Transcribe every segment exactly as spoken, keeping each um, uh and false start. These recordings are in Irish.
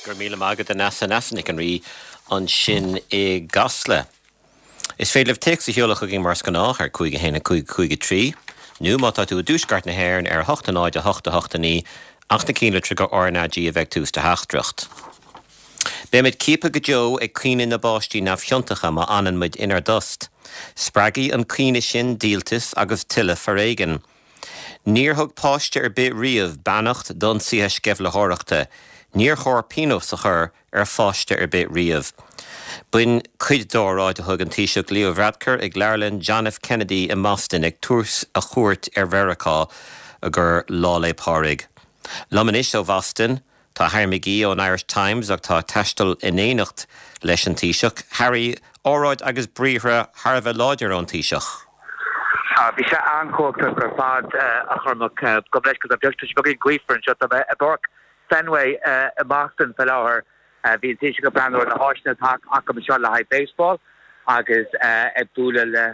Go raibh míle maith agat, Neasa, Neasa Nic an Rí ansin i gCasla. Is féidir libh téacs a sheoladh chugainn mar is gnách ar cúig a haon a cúig cúig a trí, nó má tá tú i dtuaisceart na hÉireann ar a hocht a náid a hocht a hocht a naoi, ach na cinnlitreacha R na G a bheith ag tús do theachtaireacht. Beimid ciaptha go deo ag caoineadh na bpáistí neamhchiontacha má fhanann muid inár dtost. Spreagfaidh an caoineadh sin díoltas agus tuilleadh foréigin. Níor thug páiste ar bith riamh beannacht d'ionsaithe sceimhlitheoireachta, níor chóir pionós a chur ar pháiste ar bith riamh. B'in cuid d'óráid a thug an Taoiseach Leo Varadkar ag Leabharlann John F. Kennedy i mBoston ag tús a chuairt ar Mheiriceá ar Lá 'le Pádraig. Liom anois ó Bhoston, tá Harry McGee ón Irish Times ach atá ag taisteal in éineacht leis an Taoiseach. Harry, óráid agus briathra thar a bheith láidir ón Taoiseach. Bhí sé an-chumhachtach ar fad, a Chormaic, gabh mo leithscéal, tá sé beagáinín gaofar anseo, tá mé i bPáirc Fenway i mBoston faoi láthair. Bhí an Taoiseach ag breathnú ar na háiseanna atá acu anseo le haghaidh baseball agus ag bualadh le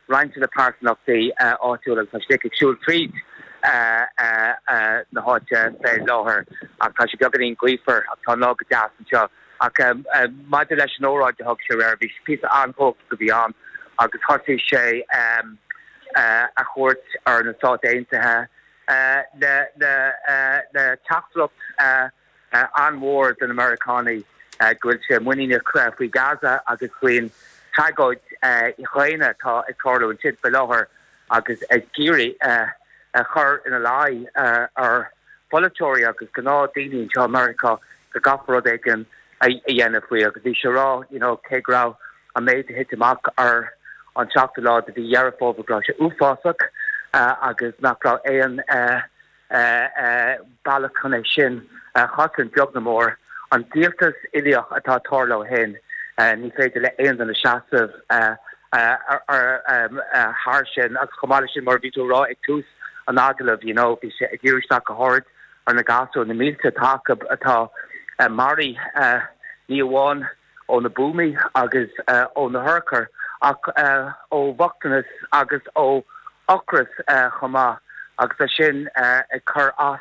roinnt de na pearsanachtaí áitiúla agus tá sé ag siúl tríd na háite fé láthair ach tá sé beagáinín gaofar ach tá an lá go deas anseo. Ach maidir leis an óráid a thug sé aréir, bhí píosa an-chumhachtach a bhí ann agus thosaigh sé a chuairt ar na Stáit Aontaithe le le teachtaireacht an-mhór do na Meiriceánaigh go bhfuil sé muiníneach faoi Gaza agus faoin tragóid dhaonna atá ag tarlú ansin faoi láthair agus ag iarraidh a chur ina luí ar pholaiteoirí agus gnáthdhaoine anseo i Meiriceá go gcaithfear rud éigin a dhéanamh faoi agus bhí sé ag rá you know cé go raibh an méid a thit amach ar an seachtú lá de mhí Dheireadh Fómhair go raibh sé uafásach agus nach raibh aon bealach chun é sin a chosaint beag ná mór. An díoltas uilíoch atá ag tarlú ó shin, ní féidir le aon duine seasamh thar sin agus chomh maith leis sin mar a bhí tú ag rá ag tús an agallaimh you know bhí sé ag díriú isteach go háirid ar na gasúir, na mílte atá acu atá maraithe ní amháin ó na buamaí agus ó na hurchair ach ó bhochtanas agus ó ocras chomh maith agus é sin ag cur as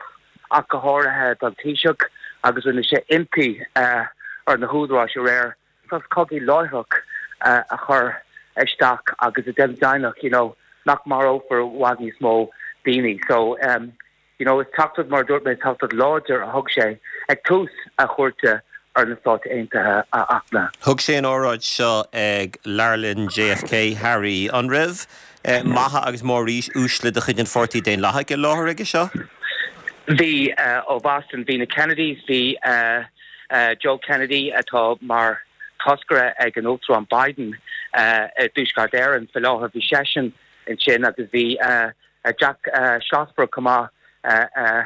ach go háirithe don Taoiseach agus rinne sé impí ar na húdaráis aréir sos cogaidh láithreach a chur isteach agus a déanamh deimhneach you know nach marófar i bhfad níos mó daoine. So um, you know, is teachtaireacht mar a dúirt mé teachtaireacht láidir a thug sé ag tús a chuairte ar na Stáit Aontaithe a Fhachtna. Thug sé an óráid seo ag Leabharlann J F K, Harry. An raibh eh, maithe agus móruaisle de chuid an Pháirtí Daonlathaigh i láthair aige seo? Bhí uh, ó Boston, bhí na Kennedys, bhí uh, uh, Joe Kennedy atá mar toscaire ag an Uachtarán Biden uh, i dTuaisceart Éireann faoi láthair, bhí seisean ansin agus bhí uh, Jack uh, Schlossberg chomh maith uh, uh,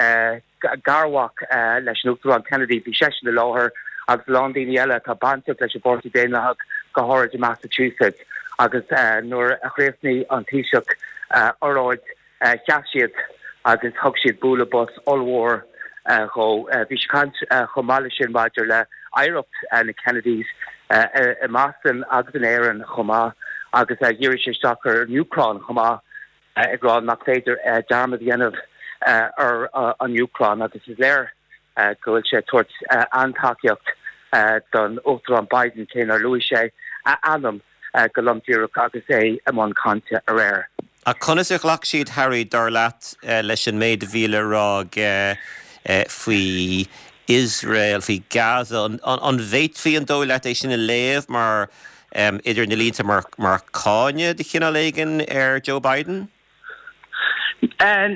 uh, garmhac uh, leis an Uachtarán Kennedy, bhí seisean i láthair agus lán daoine eile atá bainteach leis an bPáirtí Daonlathach go háirid i Massachusetts agus uh, nuair a chríochnaigh an Taoiseach uh, óráid uh, sheas siad agus thug siad bualadh bos ollmhór uh, dhó uh, bhí sé ag caint uh, chomh maith leis sin maidir le hoidhreacht uh, na Kennedys uh, i mBoston agus in Éirinn chomh maith agus uh, dhírigh sé isteach ar an Úcráin chomh maith uh, ag rá nach féidir uh, dearmad a dhéanamh uh, ar uh, an Úcráin agus is léir uh, go bhfuil sé ag tabhairt uh, an-tacaíocht uh, don Uachtarán Biden cé nár luaigh sé a ainm uh, go lom díreach agus é i mbun cainte aréir. A conas a ghlac siad, Harry, dar leat uh, leis an méid a bhí le rá uh, uh, faoi Israel, faoi Gaza, an, an, an bhféadfaí an dóigh leat é sin a léamh mar um, idir na línte mar, mar cháineadh de chineál éigin ar Joe Biden? Uh,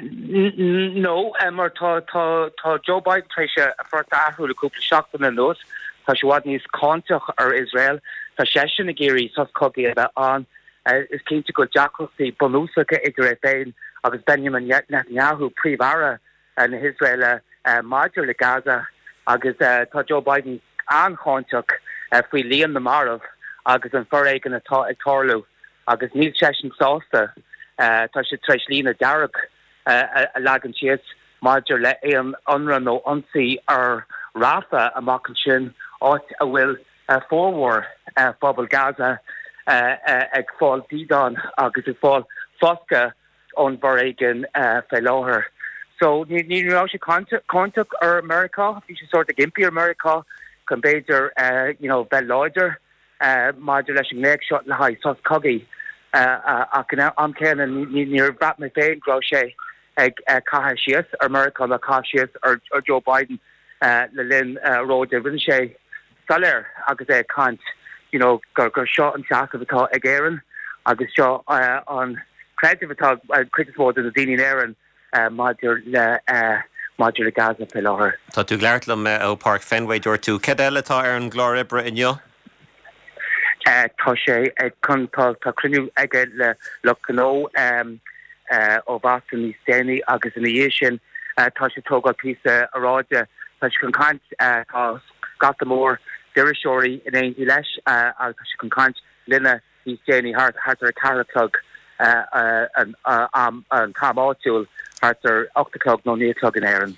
no, uh, mar tá tá tá Joe Biden tar éis a phort a athrú le cúpla seachtain anuas, tá sé i bhfad níos cáinteach ar Israel, Tá seisean ag iarraidh sos cogaidh a bheith ann uh, is cinnte go deacrachtaí bunúsacha idir é féin agus Benjamin Netanyahu príomh-aire uh, na hIosraeile uh, maidir le Gaza agus uh, tá Joe Biden an-cháinteach uh, faoi líon na marbh agus an foréigean atá ag tarlú agus níl seisean sásta uh, tá sé tar éis líne dearg uh, a leagan síos maidir le aon ionradh nó ionsaí ar Rafah amach ansin áit a bhfuil uh, formhór uh, phobal Gaza uh, uh, ag fáil dídean agus ag fáil foscadh ón bhforéigean uh, fé láthair. So ní ní raibh sé cáinteach ar Meiriceá, bhí sé sórt ag impí ar Meiriceá chun b'fhéidir uh, you know, bheith láidir uh, maidir leis an nglaoch seo le haghaidh sos cogaidh uh, ach an am céanna níor bhraith mé féin go raibh sé ag uh, caitheamh síos ar Meiriceá nó caitheamh síos ar, ar Joe Biden uh, le linn uh, óráide. Rinne sé soiléir agus é ag caint you know, gur gur seo an seasamh atá ag Éirinn agus seo uh, an creideamh atá uh, cuid is mó de na daoine in Éirinn uh, maidir le uh, maidir le Gaza fé láthair. Tá tú ag labhairt liom ó Páirc Fenway dúirt tú cad eile atá ar an gclár oibre inniu? Uh, tá sé ag chun tá tá cruinniú aige le lucht gnó um, uh, ó Bhoston níos déanaí agus ina dhiaidh sin uh, tá sé tógáil píosa óráide tá sé chun caint uh, tá scata mór d'iriseoirí in éindí leis uh, agus tá sé chun caint linne níos déanaí thart thart ar a ceathair a chlog uh, uh, an uh, am an t-am áitiúil thart ar ocht a chlog nó naoi a chlog in Éirinn.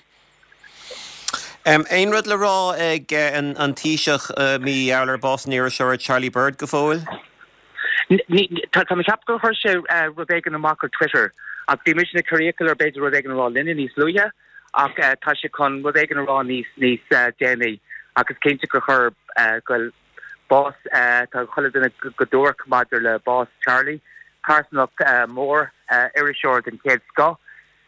Um, Aon rud le rá ag uh, an, an Taoiseach uh, mar gheall ar bás an iriseora Charlie Bird go fóill? Tá tá ceap gur chuir sé uh, rud éigin amach ar Twitter ach bhí mise ag cur iachall air b'fhéidir rud éigin a rá linne níos luaithe ach uh, tá sé chun rud éigin a rá níos níos uh, déanaí agus cinnte gur chuir uh, go bás uh, tá chuile duine go duairc maidir le bás Charlie pearsanach uh, mór uh, iriseoir den chéad scoth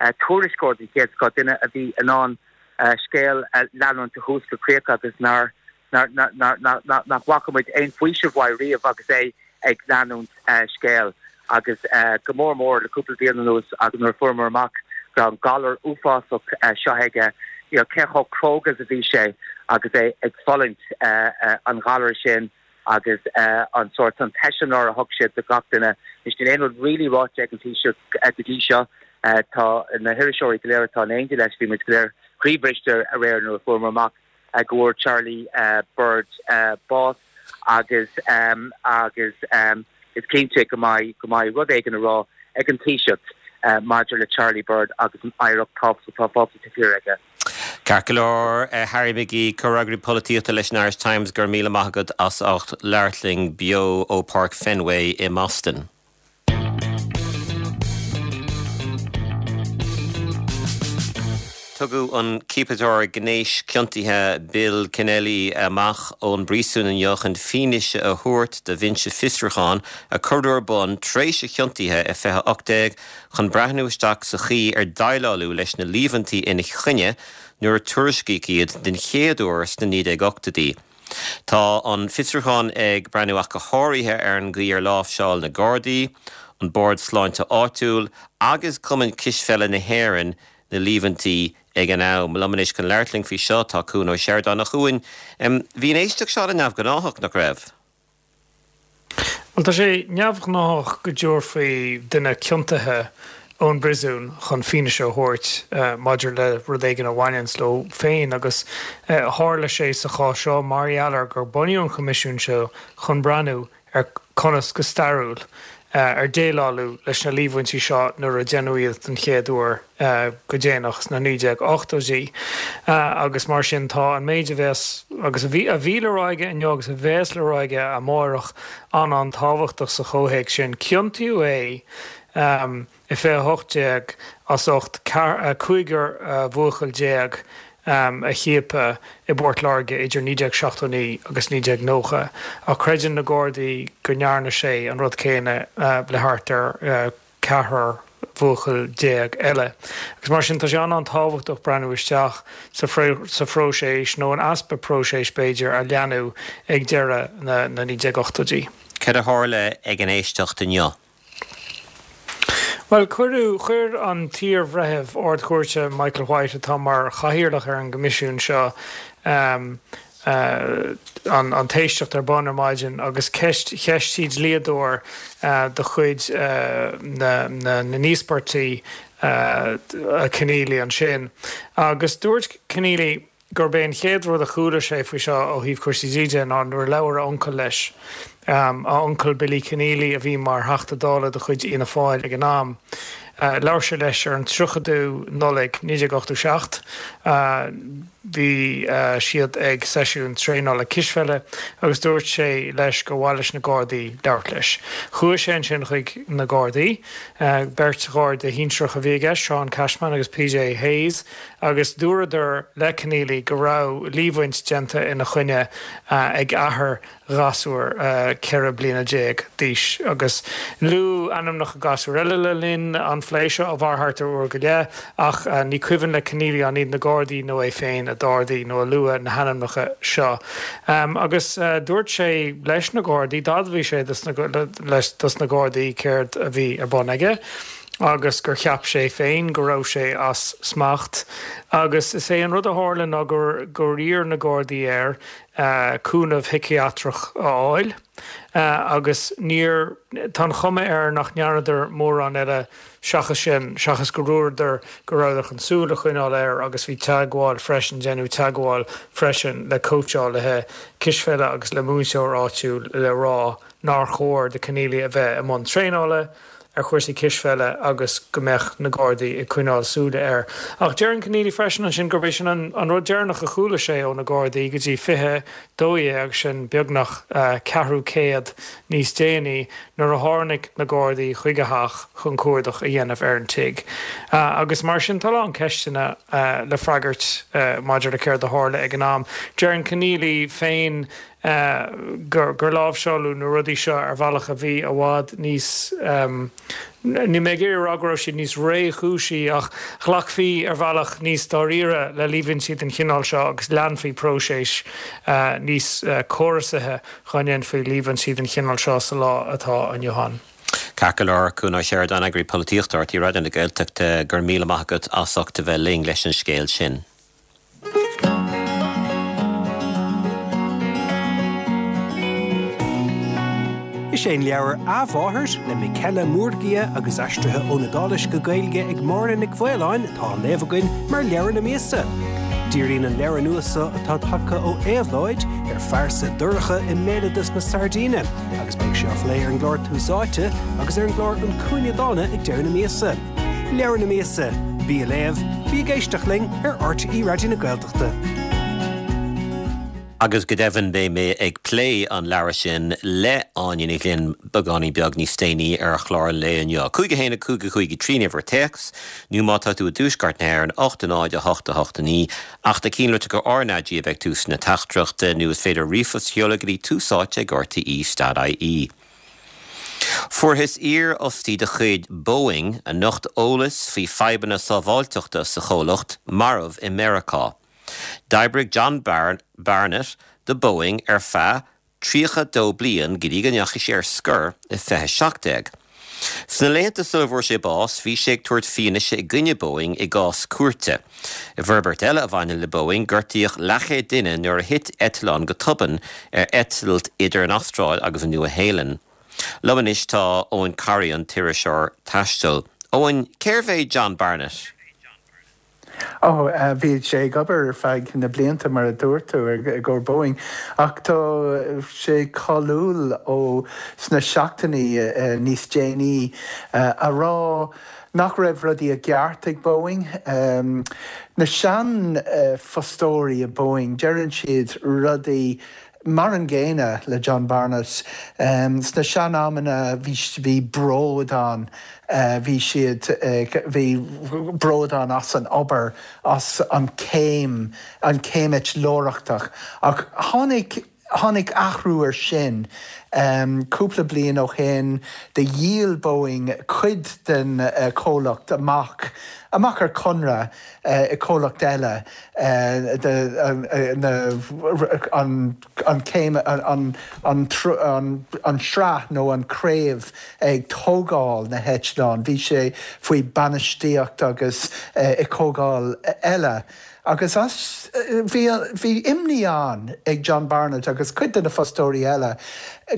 uh, tuairisceoir den chéad scoth duine a bhí in ann uh, scéal uh, leanúint ó thús go críoch agus nár nach bhfaca muid aon faoiseamh uaidh riamh agus é ag leanúint uh, scéal agus uh, go mór mór le cúpla bliain anuas agus nuair a fuaireamar amach go raibh an galar uafásach uh, seo aige you know, cé chomh cróga a bhí sé agus é ag fulaingt uh, uh, an galar sin agus uh, an sórt an t-eiseamláir a thug sé do gach duine. Is níl aon rud really ráite ag an Taoiseach go dtí seo uh, tá na hiriseoirí go léir atá in éindí leis bhí muid go léir croíbhriste aréir nuair a fuaireamar amach uh, go bhfuair Charlie uh, Bird uh, bás agus um, agus um, is cinnte go mbeidh go mbeidh rud éigin a rá ag an Taoiseach uh, maidir le Charlie Bird agus an oidhreacht tábhachtach atá fágtha taobh thiar aige. Ceart go leor uh, Harry McGee comhfhreagraí polaitíochta leis an Irish Times go raibh míle maith agat as ucht labhairt linn beo ó Páirc Fenway i mBoston. Tugadh an ciapadóir gnéis ciontaithe Bill Kennelly amach ón bpríosún inniu chun fianaise a thabhairt do bhinse fiosrúcháin a cuireadh ar bun tar éis a chiontaithe i fiche ocht déag chun breathnú isteach sa chaoi ar déileáladh leis na líomhaintí ina choinne nuair a tuairiscíodh iad den chéad uair sna naoi déag ochtóidí. Tá an fiosrúchán ag breathnú ach go háirithe ar an gcaoi ar láimhseáil na Gardaí, an Bord Sláinte Áitiúil agus Cumann Cispheile na hÉireann na líomhaintí ag an am. Liom anois chun labhairt linn faoi seo tá Cuan Ó Seireadáin. A Chuain, bhí an éisteacht seo neamhghnách nach raibh? Bhuel tá sé neamhghnách go dtabharfaí duine ciontaithe ón bpríosún chun fianaise a thabhairt uh, maidir le rud éigin a bhaineanns leo féin agus uh, tharla sé sa chás seo mar gheall ar gur bunaíodh an coimisiún seo chun breathnú ar conas go stairiúil ar déileáladh leis na líomhaintí seo nuair a déanadh iad den chéad uair go déanach sna naoi déag ochtóidí agus mar sin tá an méid a bheas agus a bhí a bhí le rá aige inniu agus a bheas le rá aige amárach an an-tábhachtach sa chomhthéacs sin. Ciontaíodh é i fiche a hocht déag as ucht cúigear buachaill déag a chiapadh i bPort Láirge idir naoi déag seachtó naoi agus naoi déag nócha, ach creideann na Gardaí go ndearna sé an rud céanna le thart ar ceathrar bhuachaill déag eile. Agus mar sin tá sé an-tábhachtach breathnú isteach sa phróiseas nó an easpa próiseas b'fhéidir a leanadh ag deireadh na naoi déag ochtóidí. Cad a tharla ag an éisteacht inniu? Bhuel, cuireadh, chuir an t-iarbhreitheamh Ard-Chúirte Michael White, atá mar chathaoirleach ar an gcoimisiún seo, an an t-éisteacht ar bun ar maidin agus ceist, cheistigh dlíodóir de chuid na na n-íospartach Kenneally ansin. Agus dúirt Kenneally gurb é an chéad rud a chuala sé faoi seo ó thaobh cúrsaí dlí de ná nuair a labhair a uncail leis, a uncail Billy Kenneally a bhí mar Theachta Dála de chuid Fhianna Fáil ag an am. Labhair sé leis ar an tríochadú Nollaig naoi déag ochtó seacht. Bhí siad ag seisiún traenála cispheile agus dúirt sé leis gur mhaith leis na Gardaí labhairt leis. Chuaigh sé ansin chuig na Gardaí, beirt Gharda shinsearach a bhí i gceist, Seán Cashman agus PJ Hayes, agus dúradar le Conneely go raibh líomhaint déanta ina choinne ag athair ghasúr ceithre bliana déag d'aois. Agus luadh ainmneacha gasúr eile le linn an phlé seo, a mhair thart ar uair go leith, ach ní cuimhin le Conneely an iad na Gardaí nó é féin a d'ardaigh nó a luaigh na hainmneacha seo. Agus dúirt sé leis na Gardaí, d'admhaigh sé dos na Gardaí céard a bhí ar bun aige, agus gur cheap sé féin go raibh sé as smacht. Agus is é an rud a tharla ná gur gur iarr na Gardaí air cúnamh shiciatrach a fháil agus níor, tá an chuma air nach ndearnadar mórán eile seachas sin, seachas go ndúradar go rabhadar chun súil a choinneáil air agus bhí teagmháil freisin, déanadh teagmháil freisin le cóitseálaithe cispheile agus le múinteoir áitiúil le rá nár chóir do Conneely a bheith i mbun traenála. ar chúrsaí cispheile agus go mbeadh na Gardaí ag coinneáil súile air. Ach deireann Conneely freisin ansin gurb é sin an rud deireanach a chuala sé ó na Gardaí go dtí fiche dó dhéag, sin beagnach ceathrú céad níos déanaí, nuair a tháinig na Gardaí chuig a theach chun cuardach a dhéanamh ar an tigh. Agus mar sin tá a lán ceisteanna le freagairt maidir le céard a tharla ag an am. Deireann Conneely féin gur láimhseáladh na rudaí seo ar bhealach a bhí i bhfad níos, níl mé ag iarraidh a rá go raibh siad níos réchúisí ach ghlacfaí ar bhealach níos dáiríre le líomhaintí den chineál seo agus leanfaí próiseas níos córasaithe dhá ndéanfaí líomhaintí den chineál seo sa lá atá inniu ann. Ceart go leor, Cuan Ó Seireadáin, Eagraí Polaitíochta RTÉ Raidió na Gaeltachta, go raibh míle maith agat as ucht a bheith linn leis an scéal sin. Is é an leabhar A Mháthair le Michela Murgia agus aistrithe ón Iodáilis go Gaeilge ag Máire Nic Mhaoláin atá á léamh againn mar leabhar na míosa. Díríonn an leabhar nua seo atá tagtha ó Éabhlóid ar phearsa dorcha i mbéaloideas na Sairdíne agus beidh sé á phlé ar an gclár Tús Áite agus ar an gclár An Cúinne Dána ag deireadh na míosa. Leabhar na míosa, bí á léamh, bí ag éisteacht linn ar RTÉ Raidió na Gaeltachta. Agus go deimhin beidh mé ag plé an leabhair sin le Áine Ní Ghlinn beagáinín beag níos déanaí ar chlár an lae inniu. Cúig a haon a cúig a cúig a trí an uimhir téacs, nó má tá tú i dtuaisceart na hÉireann, ocht a náid a hocht a hocht a naoi, ach na cinnlitreacha RnaG a bheidh tús na teachtaireachta, nó is féidir ríomhphost a sheoladh go dtí túsáite ag rte dot ie. Fuarthas iarfhostaí de chuid Boeing, a nocht eolas faoi fadhbanna sábháilteachta sa chomhlacht, marbh i Meiriceá. D'oibrigh John Barnett do Boeing ar feadh tríocha dó bliain go dtí go ndeachaigh sé ar scor i fiche seacht déag. Sna laethanta sula bhfuair sé bás, bhí sé ag tabhairt fianaise i gcoinne Boeing i gcás cúirte. I bhforbairt eile a bhaineann le Boeing, gortaíodh leathchéad duine nuair a thit eitleán go tobann ar eitilt idir an Astráil agus an Nua-Shéalainn. Liom anois tá Eoghan Corry, an t-iriseoir taistil. Eoghan, cérbh é John Barnett? Ó, bhí sé ag obair ar feadh na blianta, mar a dúirt tú, i gcomhair Boeing, ach tá sé cáiliúil ó sna seachtainí níos déanaí a rá nach raibh rudaí i gceart ag Boeing. Na sean-fhostóirí i Boeing, deireann siad rudaí mar an gcéanna le John Barnett. Sna sean-amanna bhí bhí bród ann, bhí siad, bhí bród ann as an obair, as an céim, an céim eitleoireachtach. Ach tháinig, tháinig athrú ar sin cúpla bliain ó shin, do dhíol Boeing cuid den chomhlacht amach, amach ar conradh i comhlacht eile de na an an céim an an an sraith nó an craobh ag tógáil na heitleán. Bhí sé faoi bainistíocht agus i comhdháil eile agus as bhí bhí imní ann ag John Barnett agus cuid de na fostóirí eile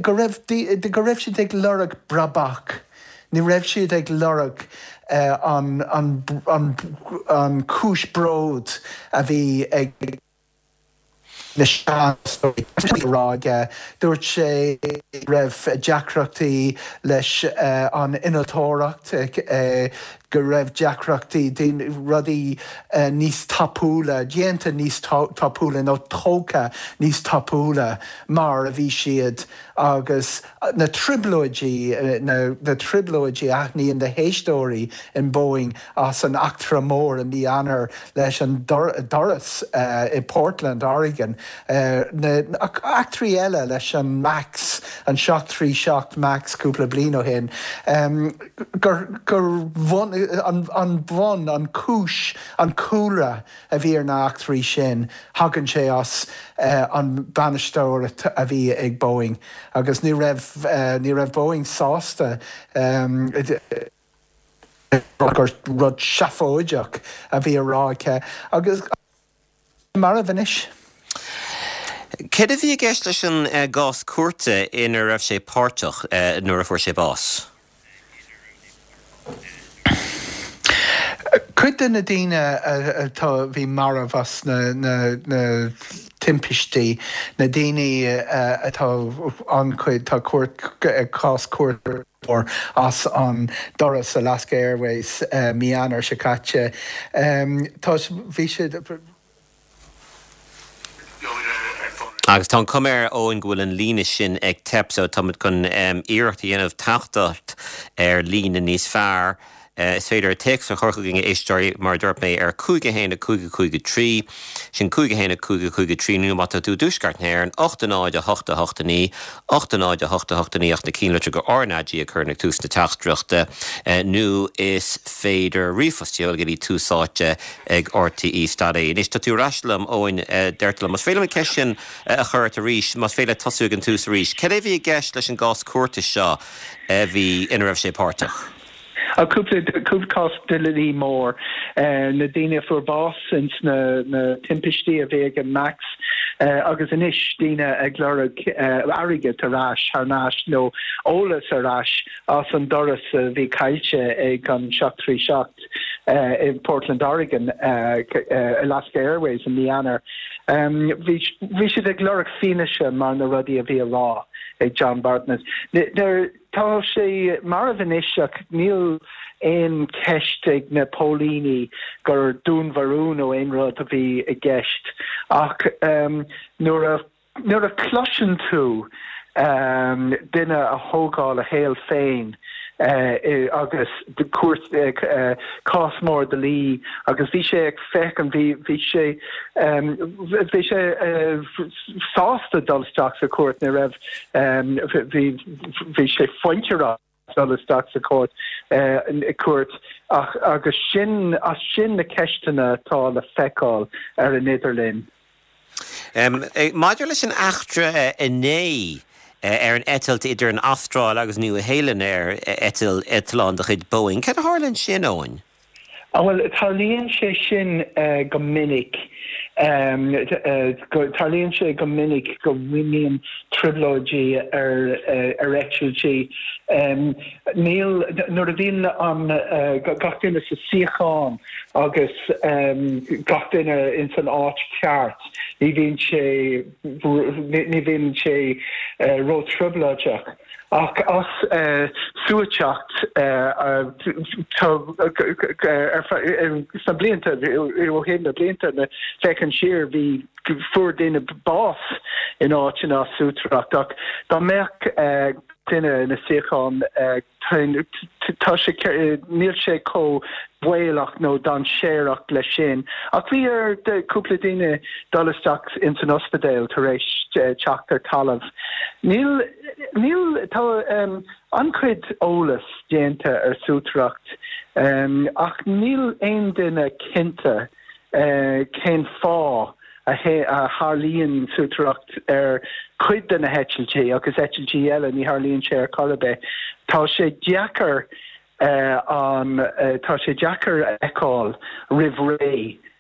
go raibh go raibh siad ag lorg brabach. Ní raibh siad ag lorg an an an an cúis bród a bhí ag na seanfhostóirí a rá aige. Dúirt sé go raibh deacrachtaí leis an innealtóireacht, go raibh deacrachtaí rudaí uh, níos tapúla, déanta níos tapúla nó tógtha níos tapúla mar a bhí siad agus na trioblóidí na, na trioblóidí a aithníonn na héisteoirí in Boeing as an eachtra mór i mí Eanáir leis an doras uh, i Portland, Oregon. Uh, na eachtraí eile leis an Max an seacht trí seacht Max cúpla bliain ó shin. Um, gur, gur bhun, an, an bhun an cúis an cúlra a bhí ar na heachtraí sin thagann sé as uh, an bainisteoir a bhí ag Boeing agus ní raibh uh, ní raibh Boeing sásta um, gur rud seafóideach a bhí á rá aici agus marbh anois. Cad a bhí i gceist leis an uh, gcás cúirte ina raibh sé páirteach uh, nuair a fuair sé bás? Cuid de na daoine atá bhí marbh as na, na, na timpistí, na daoine atá an-chuid tá cúirt cás cúirt as an doras Alaska Airways uh, mí Eanáir seo caite. Um, tá bhí siad Agus tá cuma air Eoin go bhfuil an líne sin ag teip so táimid chun um, iarracht a dhéanamh teacht ar líne níos fearr. Uh, is féidir téacs a chur chugainn a éisteoirí mar dúirt mé ar cúig a haon a cúig a cúig a trí, sin cúig a haon a cúig a cúig a trí nó má tá tú i dtuaisceart na hÉireann, ocht a náid a hocht a hocht a naoi, ocht a náid a hocht a hocht a naoi ach na cinnlitreacha RnaG a chur ag tús na teachtaireachta uh, nó is féidir ríomhphost a sheoladh go dtí Tús Áite ag RTÉ dot ie. Anois tá tú ar ais liom Eoin uh, deirtear liom. Más féidir liom an ceist sin uh, a chur ort arís, más féidir tosú ag an tús arís. Cad é bhí i gceist leis an gcás cúirte seo a bhí ina raibh sé páirteach? A cúpla cúpla cás dlí mór uh, na daoine a fuair bás ins na, na timpistí a bhí ag an Max uh, agus anois daoine ag lorg uh, airgead ar ais thar n-ais nó eolas ar ais as an doras a bhí caillte ag an seacht trí seacht uh, in Portland, Oregon uh, uh, Alaska Airways i mí Eanáir. Um, bhí bhí siad ag lorg fianaise mar na rudaí a bhí á rá ag John Bartness. Tá sé marbh anois ach níl aon ceist ag na póilíní gur dúnmharú nó aon rud a bhí i gceist ach um, nuair a nuair a chloiseann tú um, duine a thógáil a shaol féin uh, agus de cúirt uh, cás mór dlí agus bhí sé ag féachaint bhí bhí sé um, bhí sé uh, sásta dul isteach sa cúirt ní raibh um, bhí bhí sé fuinteach dul isteach sa cúirt uh, cúirt ach agus sin as sin na ceisteanna atá le feiceáil ar an idirlíon. Um, maidir leis an eachtra inné ar an eitilt idir an Astráil agus Nua-Shéalainn ar eitilt eitleán de chuid Boeing, cad a tharla ansin Eoin? Ah, well, tarlaíonn sé sin uh, go minic. Um, uh, tarlaíonn sé go minic go mbíonn trioblóidí ar, uh, ar eitiltí. Um, níl nuair a bhíonn an uh, gach duine sa suíochán agus um, gach duine in san áit ceart, ní bhíonn sé ní bhíonn sé uh, ró-trioblóideach. Ach as uh, suaiteacht uh, sna blianta ó shin na blianta na féachaint siar bhí fuair daoine bás in áiteanna as suaiteacht ach dá mbeadh uh, duine ina suíochán uh, tá sé níl sé chomh baolach nó dainséarach leis sin. Ach bhí ar cúpla daoine dul isteach ins an ospidéal tar éis teacht ar talamh. Níl níl tá um, an-chuid eolas déanta ar suaiteacht um, ach níl aon duine cinnte uh, cén fáth a tharlaíonn suaiteacht ar cuid de na heitiltí agus eitiltí eile ní tharlaíonn sé ar chor ar bith. Tá sé deacair uh, an uh, tá sé deacair a fheiceáil roimh ré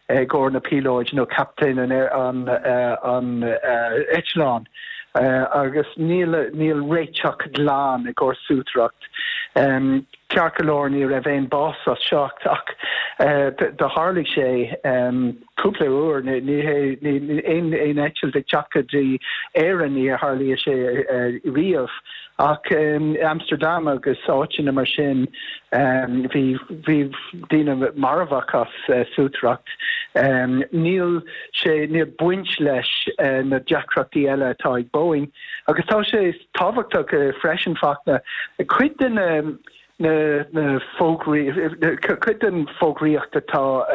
i gcomhair na píolóid nó captaen an an uh, an uh, eitleán. Uh, agus níl níl réiteach glan i gcomhair suaiteacht. Um, Ceart go leor ní raibh aon bás as seo ach do tharlaigh sé cúpla uair ní hé aon aon eitilt ag teacht go dtí Éirinn ní tharlaíonn sé riamh ach Amsterdam agus áiteanna mar sin bhí bhí daoine marbh as suaitreacht. Níl sé níl baint leis na deacrachtaí eile atá ag Boeing agus tá sé tábhachtach freisin Fachtna cuid den na na fógraí cuid den fógraíocht atá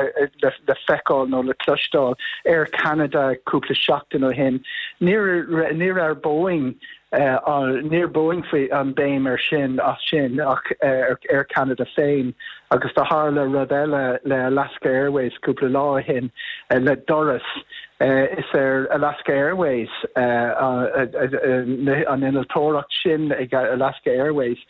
le le feiceáil nó le cloisteáil Air Canada cúpla seachtain ó shin níor níor ar Boeing níor Boeing faoi an béim ar sin as sin ach ar Air Canada féin agus do tharla rud eile le Alaska Airways cúpla lá ó shin le doras is ar Alaska Airways an innealtóireacht sin ag Alaska Airways.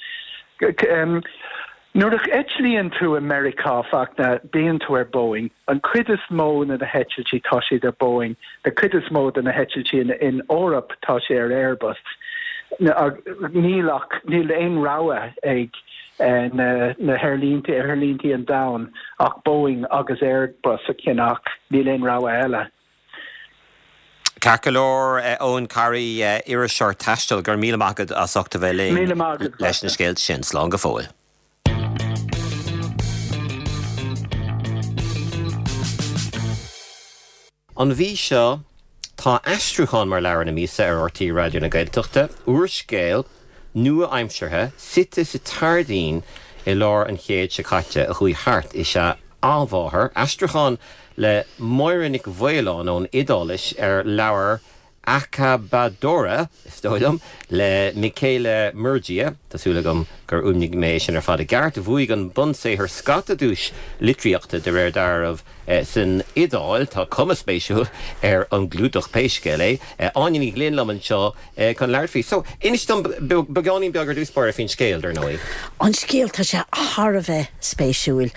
Nuair a eitlíonn tú i Meiriceá Fachtna bíonn tú ar Boeing. An cuid is mó na na heitiltí tá siad ar Boeing, na cuid is mó de na heitiltí in, in Eoraip tá sé ar Airbus. Níl ach níl aon rogha ag eh, na, na haerlínte aerlínte an domhain ach Boeing agus Airbus a cheannach, níl aon rogha eile. Ceart go leor Eoin Carey iriseoir taistil go raibh míle maith agat as ucht a bheith linn leis na scéalta sin slán go fóill. An mhí seo tá aistriúchán mar leabhar na míosa ar R T Raidió na Gaeltachta, úrscéal nua-aimseartha suite sa tSairdín i lár an chéid seo caite a chuaigh thart is ea Athmháthair, aistriúchán le Máire Nic Mhaoláin ón Iodáilis ar leabhar Accabadora, is dóigh liom, le Michele Murgia, tá súil agam gur fhuaimnigh mé sin ar fad i gceart, bhuaigh an bunsaothar scata duais litríochta de réir dealraimh san Iodáil. Tá cuma spéisiúil ar an gclúdach pé scéal é. Áine Ní Ghlinn liom anseo chun labhairt faoi. So, inis dom beagáinín beag ar dtús báire faoin scéal, dar ndóigh. An scéal, tá sé thar a bheith spéisiúil.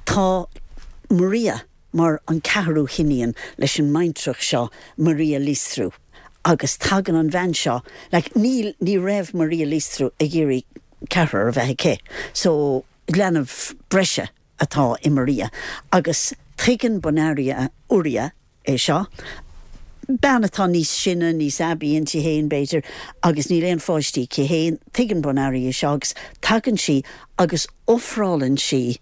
Tá Maria mar an ceathrú hiníon leis an mbaintreach seo, Maria Liistru, agus tagann an bhean seo, like, níl, ní raibh Maria Liistru ag iarraidh ceathrar a bheith aici, so leanbh breise atá i Maria, agus tuigeann Bonaria Uria é seo, bean atá níos sine, níos aibí inti féin b'fhéidir, agus níl aon pháistí aici féin, tuigeann Bonaria é seo agus tagann sí agus ofrálann sí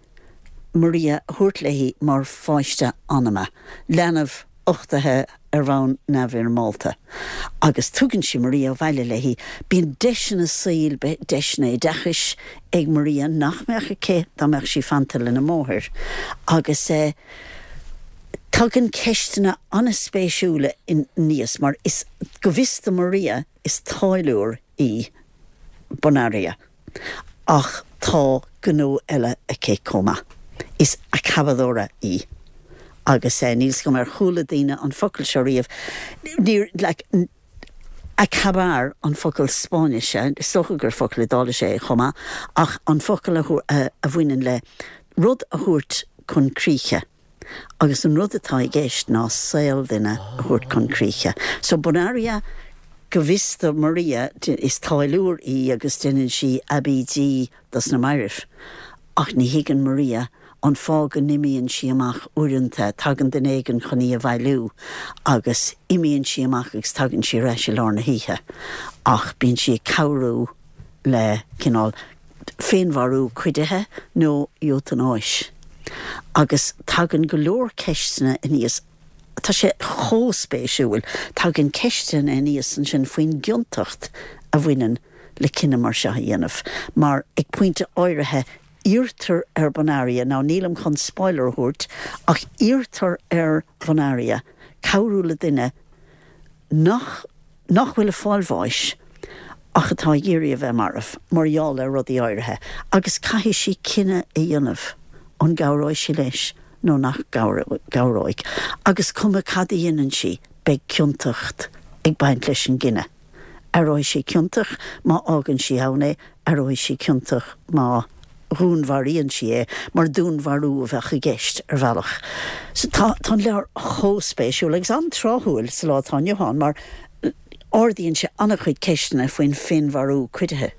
Maria a thabhairt léi mar pháiste anama, leanbh uchtaithe ar bhonn neamhfhoirmeálta. Agus tugann sí Maria abhaile léi. Bíonn deiseanna saoil, deiseanna oideachais ag Maria nach mbeadh aici dá mbeadh sí fanta lena máthair. Agus tagann ceisteanna an-spéisiúla aníos mar is, go bhfios do Maria, is táilliúir í Bonaria. Ach tá gnó eile aici chomh maith. Is accabadora í. Agus eh, níl 's agam ar chuala daoine an focal seo riamh. Níor, like, acabar an focal Spáinnise, is dócha gur focal Iodáilise é chomh maith, ach an focal a, a, a bhaineann le rud a thabhairt chun críche. Agus an rud atá i gceist ná saol duine a thabhairt chun críche. So Bonaria go bhfios do Maria is táilliúir í agus déanann sí aibídí dos na mairbh. Ach ní thuigeann Maria an fáth go n-imíonn sí amach uaireanta, tagann duine éigin chun í a bhailiú agus imíonn sí amach agus tagann sí ar ais i lár na hoíche. Ach bíonn sí ag cabhrú le cineál féinmharú cuidithe nó eotanáis. Agus tagann go leor ceisteanna aníos Tá sé chomh spéisiúil. Tagann ceisteanna aníos ansin faoin gciontacht a bhaineann le cinneadh mar seo a dhéanamh, mar ag pointe áirithe iarrtar ar Bonaria, now nílim chun spoiler a thabhairt, ach iarrtar ar Bonaria cabhrú le duine nach nach bhfuil ag fáil bháis ach atá ag iarraidh a bheith marbh mar gheall ar rudaí áirithe, agus caithfidh sí cinneadh a dhéanamh an gcabhróidh sí leis nó nach gcabhróidh. Agus cuma cad a dhéanann sí, beidh ciontacht ag baint leis an gcinneadh. Aireoidh sí ciontach má fhágann sí ann é, aireoidh sí ciontach má dhúnmharaíonn sí é, mar dúnmharú a bheadh i gceist ar bhealach. So tá tá an leabhar chomh spéisiúil agus an-tráthúil sa lá atá inniu ann mar ardaíonn sé an-chuid ceisteanna faoin féinmharú cuidithe.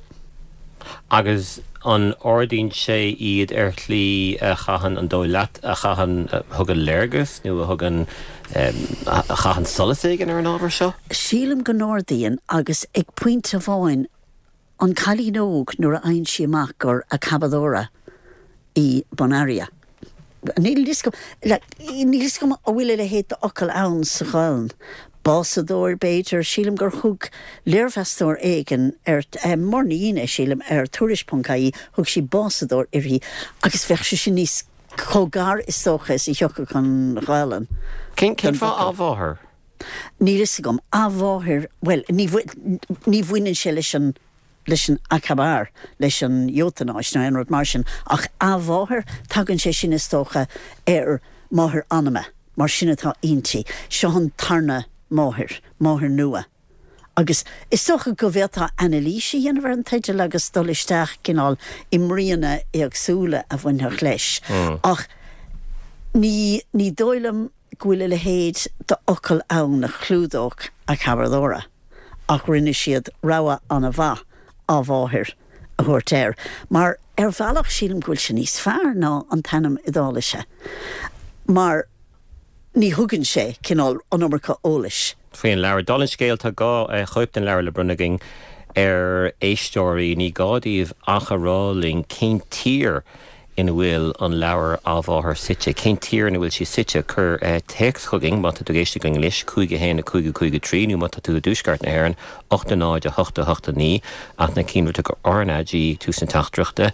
Agus an ardaíonn sé iad ar shlí a chaitheann an dóigh leat a chaitheann a thugann léargas nó a thugann a chaitheann solas éigin ar an ábhar seo? Sílim go n-ardaíonn agus ag pointe amháin an cailín óg nuair a fhaigheann sí amach gur accabadora í Bonaria. Níl fhios agam níl fhios agam an bhfuil a leithéid d'fhocal ann sa Ghaelainn. Básadóir b'fhéidir, sílim gur thug léirmheastóir éigin ar Máire Ní Fhionnaith sílim ar Tuairisc ponc ie thug sí básadóir uirthi agus bheadh sé sin níos chomh gar is dócha is a thiocfadh an Ghaelainn. Cén cén fáth athmháthair? Níl fhios agam. Athmháthair, bhuel ní ní bhaineann sé leis an leis an acabar, leis an eotanáis nó aon rud mar sin, ach athmháthair, tagann sé sin is dócha ar máthair anama, mar sin atá inti. Seo an tarna máthair, máthair nua. Agus is dócha go bhféadfá anailís a dhéanamh ar an teideal agus dul isteach cineál i mbríonna éagsúla a bhainfeadh leis. Ach ní ní dóigh liom go bhfuil a leithéid d'fhocal ann a chlúdódh accabadora. Ach rinne siad rogha an-mhaith athmháthair a thabhairt air, mar ar bhealach sílim go bhfuil sé níos fearr ná an t-ainm Iodáilise, mar ní thugann sé cineál an iomarca eolais. Faoin leabhar. Dála an scéil, tá dhá chóip den leabhar le bronnadh againn ar éisteoirí. Ní gá daoibh ach a rá linn cén tír ina bhfuil an leabhar Athmháthair suite. Cén tír ina bhfuil sí suite? Cuir téacs chugainn má tá tú ag éisteacht linn anois, cúig a haon a cúig a cúig a trí, nó má tá tú i dtuaisceart na hÉireann, ocht a náid a hocht a hocht a naoi, ach ná cinnte go R N A G ag tús na teachtaireachta,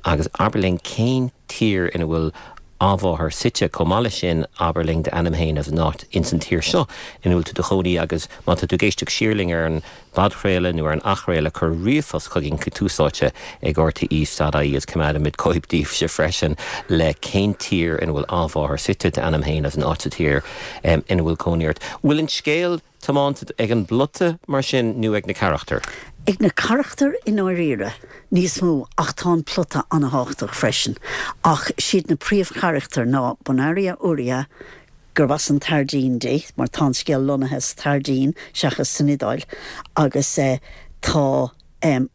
agus abair linn cén tír ina bhfuil Athmháthair suite. Chomh maith leis sin, abair linn d'ainm féin agus an áit ins an tír seo ina bhfuil tú do chónaí agus má tá tú ag éisteacht siar linn ar an bpodchraoladh nó ar an athchraoladh, cuir ríomhphost chugainn chuig Tús Áite ag R T E dot I E agus coimeádfaimid cóip daoibhse freisin le cén tír ina bhfuil Athmháthair suite, d'ainm féin agus an áit sa tír ina bhfuil cónaí ort. Bhfuil an scéal tiomanta ag an bplota mar sin nó ag na carachtair? Ag na carachtair i ndáiríre níos mó ach tá an plota an-tábhachtach freisin. Ach siad na príomhcharachtair ná Bonaria Uria, gurb as an tSairdín di, mar tá an scéal lonnaithe sa tSairdín seachas san Iodáil, agus tá